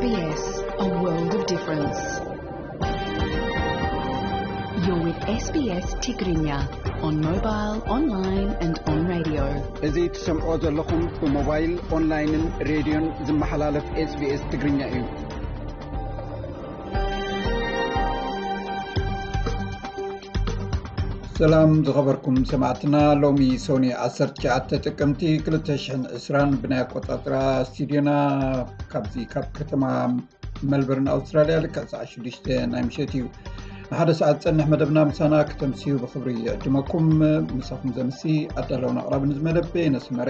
S B S, a world of difference. You're with S B S Tigrinya on mobile, online and on radio. እዚ ትሰምዖ ዘለኹም ብሞባይል፣ ኦንላይንን ሬድዮን ዝመሓላለፍ S B S ትግርኛ እዩ። ሰላም ዝኸበርኩም ሰማዕትና፣ ሎሚ ሶኒ ዓሰርተ ትሽዓተ ጥቅምቲ ክልተ ሽሕን ዕስራን ብናይ ኣቆጻጽራ ስቱዲዮና ካብዚ ካብ ከተማ መልበርን ኣውስትራልያ ልክዕ ሰዓት ሽዱሽተ ናይ ምሸት እዩ። ንሓደ ሰዓት ዝጸንሕ መደብና ምሳና ክተምስዩ ብኽብሪ ይዕድመኩም። ምሳኹም ዘምሲ ኣዳለውን ኣቕራብን እዚ መደብ የነስመረ።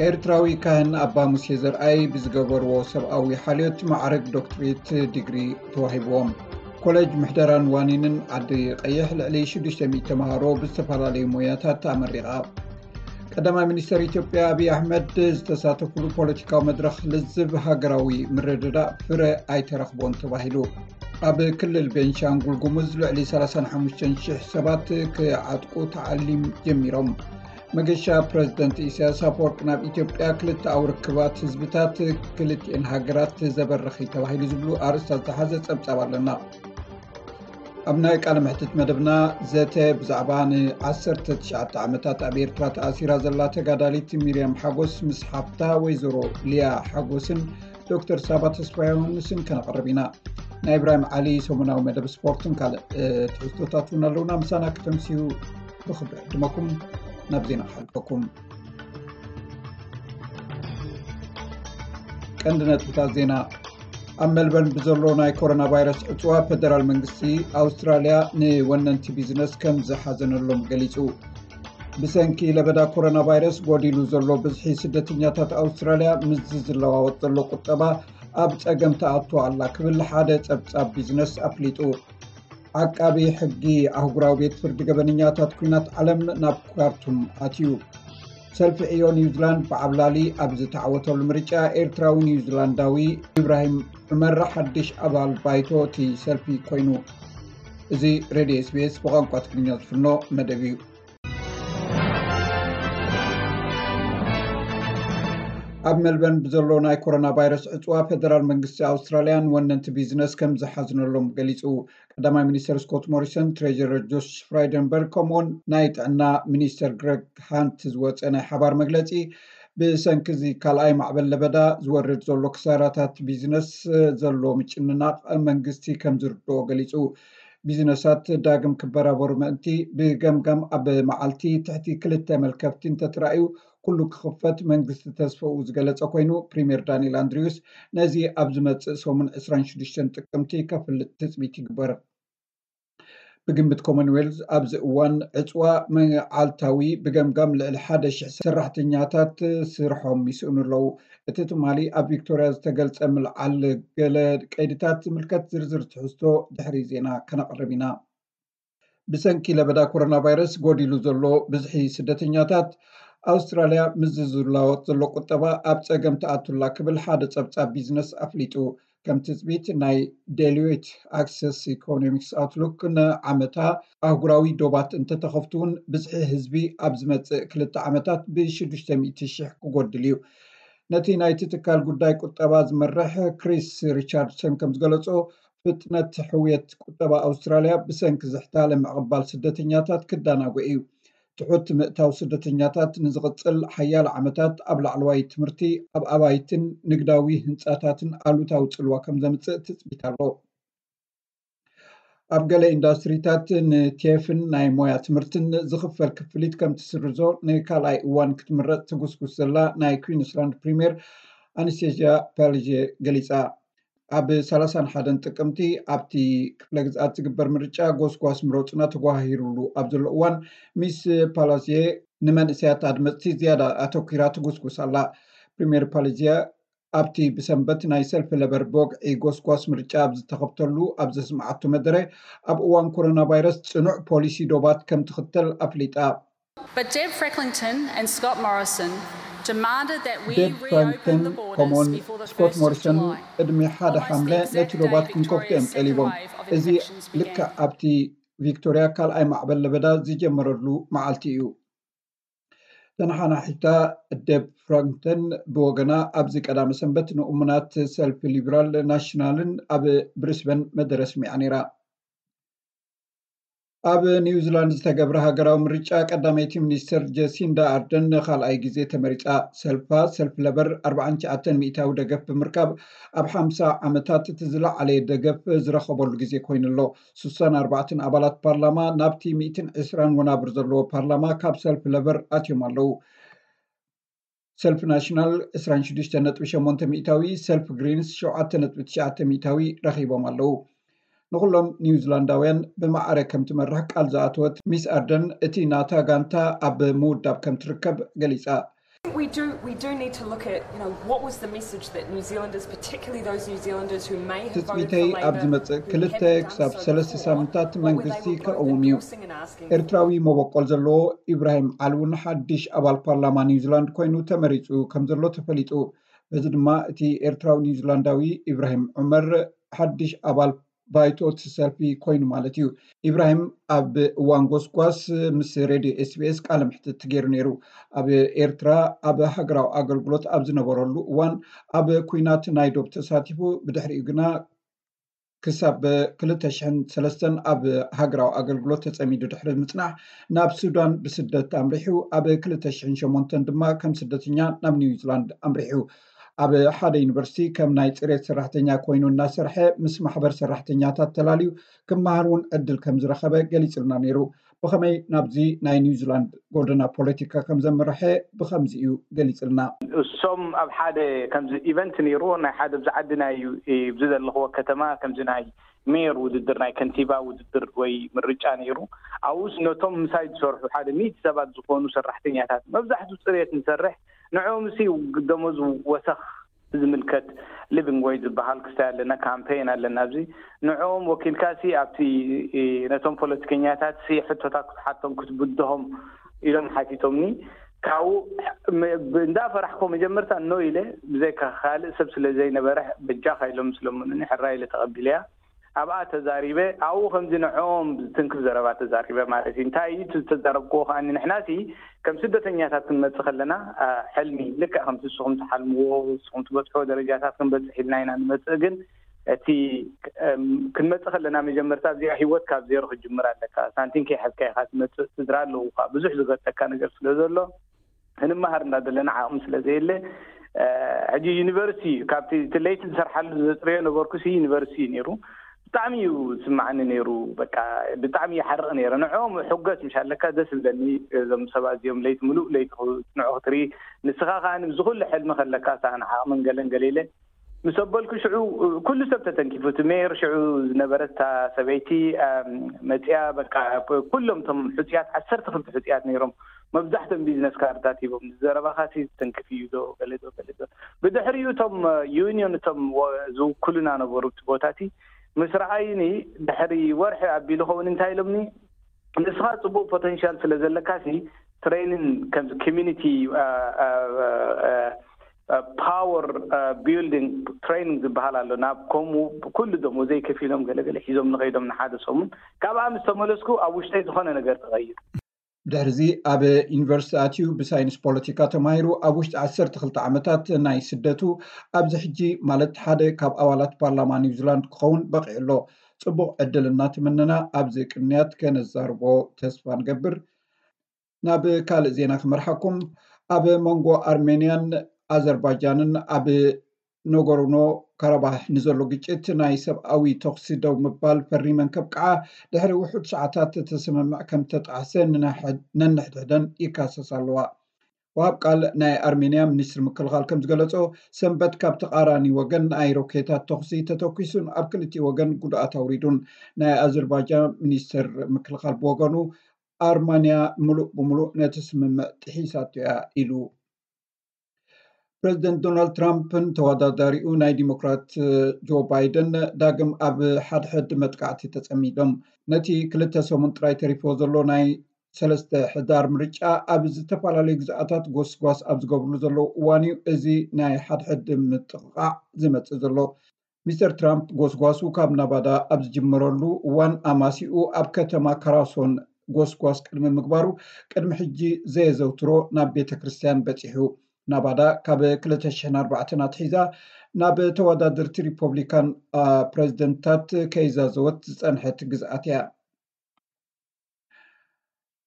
ኤርትራዊ ካህን ኣባ ሙሴ ዘርኣይ ብዝገበርዎ ሰብኣዊ ሓልዮት ማዕረግ ዶክትሬት ዲግሪ ተዋሂብዎም። ኮሌጅ ምሕደራን ዋኒንን ዓዲ ቀይሕ ልዕሊ ሽዱሽተ ሚእቲ ተምሃሮ ብዝተፈላለዩ ሞያታት ኣመሪቓ። ቀዳማይ ሚኒስተር ኢትዮጵያ ኣብይ ኣሕመድ ዝተሳተፉሉ ፖለቲካዊ መድረኽ ልዝብ ሃገራዊ ምርድዳእ ፍረ ኣይተረኽቦን ተባሂሉ። ኣብ ክልል ቤንሻንጉል ጉሙዝ ልዕሊ ሰላሳን ሓሙሽተን ሽሕ ሰባት ክዓጥቁ ተዓሊም ጀሚሮም። መገሻ ፕረዚደንት ኢሳያስ ኣፈወርቂ ናብ ኢትዮጵያ ክልተኣዊ ርክባት ህዝብታት ክልቲኤን ሃገራት ዘበርኽ እዩ ተባሂሉ ዝብሉ ኣርእስታት ዝሓዘ ጸብጻብ ኣለና። ኣብ ናይ ቃለ መሕትት መደብና ዘተ ብዛዕባ ን ዓሰርተ ትሽዓተ ዓመታት ኣብ ኤርትራ ተኣሲራ ዘላ ተጋዳሊት ሚርያም ሓጎስ ምስ ሓፍታ ወይዘሮ ሊያ ሓጎስን ዶክተር ሳባ ተስፋ ዮሃንስን ከነቕርብ ኢና። ናይ ኢብራሂም ዓሊ ሰሙናዊ መደብ ስፖርትን ካልእ ትሕዝቶታት እውን ኣለውና። ምሳና ክተምስዩ ብኽብሪ ዕድመኩም። ናብ ዜና ክሓልፈኩም። ቀንዲ ነጥብታት ዜና። ኣብ ሜልበርን ብዘሎ ናይ ኮሮና ቫይረስ ዕፅዋ ፌደራል መንግስቲ ኣውስትራልያ ንወነንቲ ቢዝነስ ከም ዝሓዘነሎም ገሊፁ። ብሰንኪ ለበዳ ኮሮና ቫይረስ ጎዲሉ ዘሎ ብዝሒ ስደተኛታት ኣውስትራልያ ምስዚ ዝለዋወጥ ዘሎ ቁጠባ ኣብ ፀገም ተኣቱ ኣላ ክብል ሓደ ፀብፃብ ቢዝነስ ኣፍሊጡ። ዓቃቢ ሕጊ ኣህጉራዊ ቤት ፍርዲ ገበነኛታት ኲናት ዓለም ናብ ካርቱም ኣትዩ። ሰልፊ ዕዮ ኒውዚላንድ ብዓብላሊ ኣብ ዝተዓወተሉ ምርጫ ኤርትራዊ ኒውዚላንዳዊ ኢብራሂም ዑመር ሓድሽ ኣባል ባይቶ እቲ ሰልፊ ኮይኑ። እዚ ሬድዮ S B S ብቋንቋ ትግርኛ ዝፍኖ መደብ እዩ። ኣብ ሜልበርን ብዘሎ ናይ ኮሮና ቫይረስ ዕፅዋ ፌደራል መንግስቲ ኣውስትራልያን ወነንቲ ቢዝነስ ከም ዝሓዝነሎም ገሊፁ። ቀዳማይ ሚኒስተር ስኮት ሞሪሰን፣ ትሬጀረር ጆሽ ፍራይደንበርግ ከምኡውን ናይ ጥዕና ሚኒስተር ግረግ ሃንት ዝወፀ ናይ ሓባር መግለፂ ብሰንኪ እዚ ካልኣይ ማዕበል ለበዳ ዝወርድ ዘሎ ክሳራታት ቢዝነስ ዘሎ ምጭንናቕ መንግስቲ ከም ዝርድኦ ገሊፁ። ቢዝነሳት ዳግም ክበራበሩ ምእንቲ ብገምጋም ኣብ መዓልቲ ትሕቲ ክልተ መልከፍቲ እንተተራእዩ ኩሉ ክኽፈት መንግስቲ ተስፈኡ ዝገለጸ ኮይኑ፣ ፕሪምየር ዳንኤል ኣንድሪውስ ነዚ ኣብ ዝመጽእ ሰሙን ዕስራን ሽዱሽተን ጥቅምቲ ከፍልጥ ትጽቢት ይግበር። ብግምት ኮመንዌልዝ ኣብዚ እዋን ዕጽዋ መዓልታዊ ብገምጋም ልዕሊ ሓደ ሽሕ ሰራሕተኛታት ስርሖም ይስእኑ ኣለዉ። እቲ ትማሊ ኣብ ቪክቶርያ ዝተገልጸ ምልዓል ገለ ቀይድታት ዝምልከት ዝርዝር ትሕዝቶ ድሕሪ ዜና ከነቕርብ ኢና። ብሰንኪ ለበዳ ኮሮና ቫይረስ ጎዲሉ ዘሎ ብዝሒ ስደተኛታት ኣውስትራልያ ምስዚ ዝለዋወጥ ዘሎ ቁጠባ ኣብ ጸገም ተኣቱላ ክብል ሓደ ጸብጻብ ቢዝነስ ኣፍሊጡ። ከም ትጽቢት ናይ ዴሎይት ኣክሰስ ኢኮኖሚክስ ኣውትሉክ ንዓመታ ኣህጉራዊ ዶባት እንተተኸፍቱ እውን ብዝሒ ህዝቢ ኣብ ዝመጽእ ክልተ ዓመታት ብሽዱሽተ ሚእቲ ሽሕ ክጎድል እዩ። ነቲ ናይቲ ትካል ጉዳይ ቁጠባ ዝመርሕ ክሪስ ሪቻርድሰን ከም ዝገለጾ ፍጥነት ሕውየት ቁጠባ ኣውስትራልያ ብሰንኪ ዝሕታለ ምዕቕባል ስደተኛታት ክዳናጎ እዩ። ትሑት ምእታው ስደተኛታት ንዝቕጽል ሓያሎ ዓመታት ኣብ ላዕለዋይ ትምህርቲ፣ ኣብ ኣባይትን ንግዳዊ ህንጻታትን ኣሉታዊ ጽልዋ ከም ዘምጽእ ትጽቢት ኣሎ። ኣብ ገለ ኢንዳስትሪታት ንቴፍን ናይ ሞያ ትምህርትን ዝኽፈል ክፍሊት ከም ትስርዞ ንካልኣይ እዋን ክትምረጽ ትጉስጉስ ዘላ ናይ ኩዊንስላንድ ፕሪምየር ኣነስቴዝያ ፓልጄ ገሊጻ። ኣብ ሰላሳን ሓደን ጥቅምቲ ኣብቲ ክፍለ ግዝኣት ዝግበር ምርጫ ጎስጓስ ምረጹና ተጓሂሩሉ ኣብ ዘሎ እዋን፣ ሚስ ፓላዝየ ንመንእሰያት ኣድመጽቲ ዝያዳ ኣተኲራ ትጉስጉስ ኣላ። ፕሪምየር ፓላዝየ ኣብቲ ብሰንበት ናይ ሰልፊ ለበር ብወግዒ ጎስጓስ ምርጫ ኣብ ዝተኸፍተሉ ኣብ ዘስምዓቶ መደረ፣ ኣብ እዋን ኮሮና ቫይረስ ጽኑዕ ፖሊሲ ዶባት ከም ትኽተል ኣፍሊጣ። But Deb Frecklington and Scott Morrison demanded that we ዴብ ፍራንክተን ከምኡውን ስኮት ሞሪሰን ቅድሚ ሓደ ሓምለ ነቲ ዶባት ክንከፍቶ እዮም ጠሊቦም። እዚ ልክዕ ኣብቲ ቪክቶርያ ካልኣይ ማዕበል ለበዳ ዝጀመረሉ መዓልቲ እዩ። ተነሓናሒታ ደብ ፍራንክተን ብወገና፣ ኣብዚ ቀዳመ ሰንበት ንእሙናት ሰልፊ ሊብራል ናሽናልን ኣብ ብሪስበን መደረ ስሚዓ ነይራ። ኣብ ኒውዚላንድ ዝተገብረ ሃገራዊ ምርጫ፣ ቀዳመይቲ ሚኒስትር ጀሲንዳ ኣርደን ንኻልኣይ ግዜ ተመሪጻ። ሰልፋ፣ ሰልፊ ለበር፣ ኣርባዓን ትሽዓተን ሚእታዊ ደገፍ ብምርካብ፣ ኣብ ሓምሳ ዓመታት እቲ ዝለዓለ ደገፍ ዝረኸበሉ ግዜ ኮይኑ'ሎ። ስሳን ኣርባዕተን ኣባላት ፓርላማ ናብቲ ሚእትን ዕስራን ወናብር ዘለዎ ፓርላማ ካብ ሰልፊ ለበር ኣትዮም ኣለዉ። ሰልፊ ናሽናል ዕስራን ሽዱሽተን ነጥቢ ሸሞንተ ሚእታዊ፣ ሰልፊ ግሪንስ ሸውዓተ ነጥቢ ትሽዓተ ሚእታዊ ረኺቦም ኣለዉ። ንኹሎም ኒውዚላንዳውያን ብማዕረ ከም ትመርሕ ቃል ዝኣተወት ሚስ ኣርደን፣ እቲ ናታ ጋንታ ኣብ ምውዳብ ከም ትርከብ ገሊጻ። We do, we do need to look at, you know, what was the message that New Zealanders, particularly those New Zealanders who may have voted ትጽቢተይ for ኣብ Labor, ዝመጽእ who ክልተ haven't done ክሳብ so ሰለስተ before, ሳምንታት what were they መንግስቲ both ከእውም እዩ። endorsing and asking for? ኤርትራዊ መበቆል ዘለዎ ኢብራሂም ዓሊ እውን ሓድሽ ኣባል ፓርላማ ኒውዚላንድ ኮይኑ ተመሪጹ ከም ዘሎ ተፈሊጡ። በዚ ድማ እቲ ኤርትራዊ ኒውዚላንዳዊ ኢብራሂም ዑመር ሓድሽ ኣባል ባይቶ እቲ ሰልፊ ኮይኑ ማለት እዩ። ኢብራሂም ኣብ እዋን ጎስጓስ ምስ ሬድዮ ኤስቢኤስ ቃለ መሕትት ገይሩ ነይሩ። ኣብ ኤርትራ ኣብ ሃገራዊ ኣገልግሎት ኣብ ዝነበረሉ እዋን፣ ኣብ ኲናት ናይ ዶብ ተሳቲፉ፣ ብድሕሪኡ ግና ክሳብ ክልተ ሽሕን ሰለስተን ኣብ ሃገራዊ ኣገልግሎት ተጸሚዱ ድሕሪ ምጽናሕ፣ ናብ ሱዳን ብስደት ኣምሪሑ። ኣብ ክልተ ሽሕን ሸሞንተን ድማ ከም ስደተኛ ናብ ኒውዚላንድ ኣምሪሑ። ኣብ ሓደ ዩኒቨርሲቲ ከም ናይ ጽሬት ሰራሕተኛ ኮይኑ እናሰርሐ፣ ምስ ማሕበር ሰራሕተኛታት ተላልዩ ክመሃር እውን ዕድል ከም ዝረኸበ ገሊጽልና ነይሩ። ብኸመይ ናብዚ ናይ ኒውዚላንድ ጎደና ፖለቲካ ከም ዘምርሐ ብኸምዚ እዩ ገሊጽልና። እሶም ኣብ ሓደ ከምዚ ኢቨንት ነይሩ፣ ናይ ሓደ ኣብዚ ዓድና እዩ፣ ኣብዚ ዘለኽዎ ከተማ ከምዚ ናይ ሜየር ውድድር፣ ናይ ከንቲባ ውድድር ወይ ምርጫ ነይሩ። ኣብኡስ ነቶም ምሳይ ዝሰርሑ ሓደ ሚእቲ ሰባት ዝኾኑ ሰራሕተኛታት፣ መብዛሕትኡ ጽሬት ንሰርሕ፣ ንዕኦም ሲ ደሞዝ ወሰኽ ዝምልከት ሊቪንግ ዌጅ ዝበሃል ክስታይ ኣለና፣ ካምፔን ኣለና። ኣብዚ ንዕኦም ወኪልካ ሲ ኣብቲ ነቶም ፖለቲከኛታት ሲ ሕቶታት ክትሓቶም ክትብድሆም ኢሎም ሓቲቶምኒ። ካብኡ እንዳፈራሕኮ መጀመርታ ኖ ኢለ፣ ብዘይካ ካልእ ሰብ ስለ ዘይነበረ በጃኻ ኢሎም ስለምኑኒ ሕራይ ኢለ ተቐቢለያ። ኣብኣ ተዛሪበ፣ ኣብኡ ከምዚ ንዕኦም ዝትንክፍ ዘረባ ተዛሪበ ማለት እዩ። እንታይ እዩ እቲ ዝተዛረብክዎ ከኣ፣ ንሕናሲ ከም ስደተኛታት ክንመጽእ ከለና፣ አ፣ ሕልሚ ልክዕ ከምቲ ንስኹም ትሓልምዎ፣ ንስኹም ትበጽሕዎ ደረጃታት ክንበጽሕ ኢልና ኢና ንመጽእ። ግን እቲ፣ እም፣ ክንመጽእ ከለና መጀመርታ እዚኣ ህይወት ካብ ዜሮ ክትጅምር ኣለካ። ሳንቲም ከይሓዝካ ኢኻ ትመጽእ። ስድራ ኣለዉኻ። ብዙሕ ዝገጠካ ነገር ስለ ዘሎ፣ ክንመሃር እንዳደለና ዓቕሚ ስለ ዘየለ፣ እ፣ ሕጂ ዩኒቨርሲቲ እዩ። ካብቲ እቲ ለይቲ ዝሰርሓሉ ዘጽረዮ ነበርኩ ሲ ዩኒቨርሲቲ እዩ ነይሩ። ብጣዕሚ እዩ ዝስማዓኒ ነይሩ። በቃ ብጣዕሚ ይሓርቕ ነይረ። ንዕኦም ሕጎስ ምሽ ኣለካ ደስ ዝብለኒ። እዞም ሰባት እዚኦም ለይቲ ምሉእ ለይቲ ክጽንዑ ክትርኢ፣ ንስኻ ከኣ ኣብዚ ኩሉ ሕልሚ ከለካ፣ ሳን ዓቕምን ገለን ገለ ኢለ ምስ ኣበልኩ፣ ሽዑ ኩሉ ሰብ ተተንኪፉ። እቲ ሜየር ሽዑ ዝነበረት እታ ሰበይቲ፣ ኣም፣ መጺኣ፣ በቃ ኩሎም እቶም ሕጹያት፣ ዓሰርተ ክልተ ሕጹያት ነይሮም። መብዛሕትኦም ቢዝነስ ካርድታት ሂቦም፣ "ዘረባኻሲ ዝተንክፍ እዩ ዶ?" ገለ ዶ፣ ገለ ዶ። ብድሕሪኡ እቶም፣ እ፣ ዩኒዮን፣ እቶም ወ-፣ ዝውክሉና ነበሩ እቲ ቦታ እቲ፣ ምስ ረኣዩኒ፣ ድሕሪ ወርሒ ኣቢሉ ኸውን እንታይ ኢሎምኒ፣ "ንስኻ ጽቡቕ ፖተንሻል ስለ ዘለካሲ፣ ትሬኒን ከምዚ ኮሚኒቲ፣ እ፣ እ፣ እ፣ እ፣ ፓወር፣ እ፣ ቢልዲንግ ትሬኒንግ ዝበሃል ኣሎ። ናብ ከምኡ ኩሉ ደሞዘይ ከፊሎም ገለ ገለ ሒዞም ንኸይዶም ንሓደ ሰሙን። ካብኣ ምስ ተመለስኩ ኣብ ውሽጠይ ዝኾነ ነገር ተቐይሩ." ብድሕርዚ ኣብ ዩኒቨርሲቲ ኣትዩ ብሳይንስ ፖለቲካ ተማሂሩ ኣብ ውሽጢ ዓሰርተ ክልተ ዓመታት ናይ ስደቱ ኣብዚ ሕጂ ማለት ሓደ ካብ ኣባላት ፓርላማ ኒውዚላንድ ክኸውን በቒዑ ኣሎ። ጽቡቕ ዕድል እናተመነና ኣብዚ ቅንያት ከነዛርቦ ተስፋ ንገብር። ናብ ካልእ ዜና ክመርሓኩም። ኣብ መንጎ ኣርሜንያን ኣዘርባጃንን ኣብ ኖጎርኖ ካራባህ ንዘሎ ግጭት ናይ ሰብኣዊ ተኹሲ ደው ምባል ፈሪመን ከብቅዓ ድሕሪ ውሑድ ሰዓታት እቲ ስምምዕ ከም ተጣሕሰ ንነንሕድሕደን ይካሰሳ ኣለዋ። ወሃብ ቃል ናይ ኣርሜንያ ሚኒስትሪ ምክልኻል ከም ዝገለጾ፣ ሰንበት ካብ ተቓራኒ ወገን ናይ ሮኬታት ተኹሲ ተተኲሱን ኣብ ክልቲኡ ወገን ጉድኣት ኣውሪዱን። ናይ ኣዘርባጃን ሚኒስትር ምክልኻል ብወገኑ፣ ኣርማንያ ምሉእ ብምሉእ ነቲ ስምምዕ ጥሒሳቶ እያ ኢሉ። ፕረዚደንት ዶናልድ ትራምፕን ተወዳዳሪኡ ናይ ዲሞክራት ጆ ባይደን ዳግም ኣብ ሓድሕድ መጥቃዕቲ ተጸሚዶም። ነቲ ክልተ ሰሙን ጥራይ ተሪፎ ዘሎ ናይ ሰለስተ ሕዳር ምርጫ ኣብ ዝተፈላለዩ ግዝኣታት ጎስጓስ ኣብ ዝገብርሉ ዘለዉ እዋን እዩ እዚ ናይ ሓድሕድ ምጥቕቓዕ ዝመጽእ ዘሎ። ሚስተር ትራምፕ ጎስጓሱ ካብ ናቫዳ ኣብ ዝጅምረሉ እዋን ኣማሲኡ ኣብ ከተማ ካራሶን ጎስጓስ ቅድሚ ምግባሩ ቅድሚ ሕጂ ዘየዘውትሮ ናብ ቤተ ክርስቲያን በጺሑ። ናባዳ ካብ ክልተ ሽሕን ኣርባዕተን ኣትሒዛ ናብ ተወዳደርቲ ሪፖብሊካን ፕሬዚደንትታት ከይዛዘወት ዝጸንሐት ግዝኣት እያ።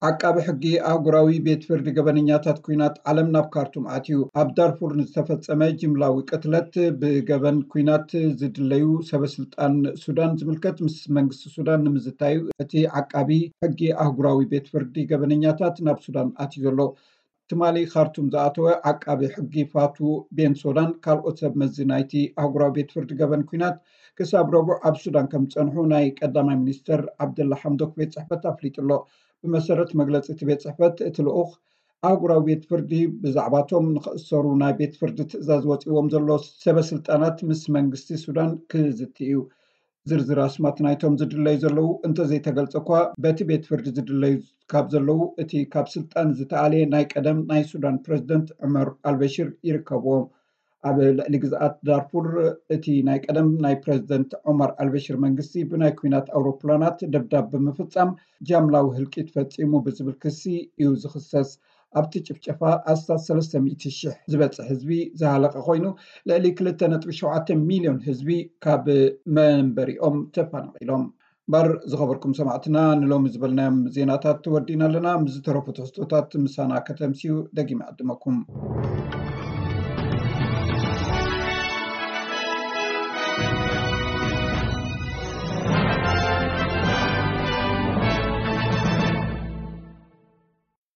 ዓቃቢ ሕጊ ኣህጉራዊ ቤት ፍርዲ ገበነኛታት ኩናት ዓለም ናብ ካርቱም ኣትዩ። ኣብ ዳርፉር ንዝተፈጸመ ጅምላዊ ቅትለት ብገበን ኩናት ዝድለዩ ሰበስልጣን ሱዳን ዝምልከት ምስ መንግስቲ ሱዳን ንምዝታዩ እቲ ዓቃቢ ሕጊ ኣህጉራዊ ቤት ፍርዲ ገበነኛታት ናብ ሱዳን ኣትዩ ዘሎ። ትማሊ ካርቱም ዝኣተወ ዓቃቢ ሕጊ ፋቱ ቤን ሶዳን ካልኦት ሰብ መዚ ናይቲ ኣህጉራዊ ቤት ፍርዲ ገበን ኩናት ክሳብ ረቡዕ ኣብ ሱዳን ከም ዝጸንሑ ናይ ቀዳማይ ሚኒስተር ዓብደላ ሓምዶክ ቤት ጽሕፈት ኣፍሊጡ ኣሎ። ብመሰረት መግለጺ እቲ ቤት ጽሕፈት እቲ ልኡኽ ኣህጉራዊ ቤት ፍርዲ ብዛዕባቶም ንኽእሰሩ ናይ ቤት ፍርዲ ትእዛዝ ወጺዎም ዘሎ ሰበ ስልጣናት ምስ መንግስቲ ሱዳን ክዝቲ እዩ። ዝርዝር ኣስማት ናይቶም ዝድለዩ ዘለዉ እንተዘይተገልጸ እኳ በቲ ቤት ፍርዲ ዝድለዩ ካብ ዘለዉ እቲ ካብ ስልጣን ዝተኣልየ ናይ ቀደም ናይ ሱዳን ፕረዚደንት ዑመር ኣልበሽር ይርከብዎም። ኣብ ልዕሊ ግዝኣት ዳርፉር እቲ ናይ ቀደም ናይ ፕረዚደንት ዑመር ኣልበሽር መንግስቲ ብናይ ኩናት ኣውሮፕላናት ደብዳብ ብምፍጻም ጃምላዊ ህልቂት ፈጺሙ ብዝብል ክሲ እዩ ዝኽሰስ። ኣብቲ ጭፍጨፋ ኣስታት ሰለስተ ሚእቲ ሽሕ ዝበጽሕ ህዝቢ ዝሃለቐ ኮይኑ ልዕሊ ክልተ ነጥቢ ሸውዓተ ሚልዮን ህዝቢ ካብ መንበሪኦም ተፈናቒሎም። እምበር ዝኸበርኩም ሰማዕትና ንሎሚ ዝበልናዮም ዜናታት ወዲና ኣለና። ምስ ዝተረፉ ትሕዝቶታት ምሳና ከተምስዩ ደጊመ ዕድመኩም።